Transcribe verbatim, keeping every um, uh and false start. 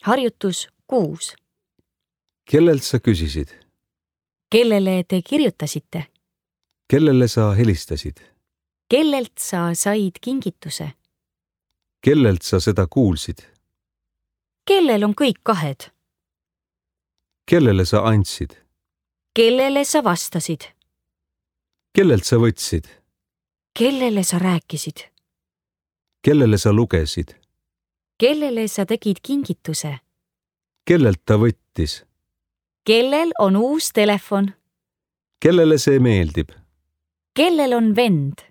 Harjutus kuus. Kellelt sa küsisid? Kellele te kirjutasite? Kellele sa helistasid? Kellelt sa said kingituse? Kellelt sa seda kuulsid? Kellel on kõik kahed? Kellele sa andsid? Kellele sa vastasid? Kellelt sa võtsid? Kellele sa rääkisid? Kellele sa lugesid? Kellele sa tegid kingituse? Kellelt ta võttis? Kellel on uus telefon? Kellele see meeldib? Kellel on vend?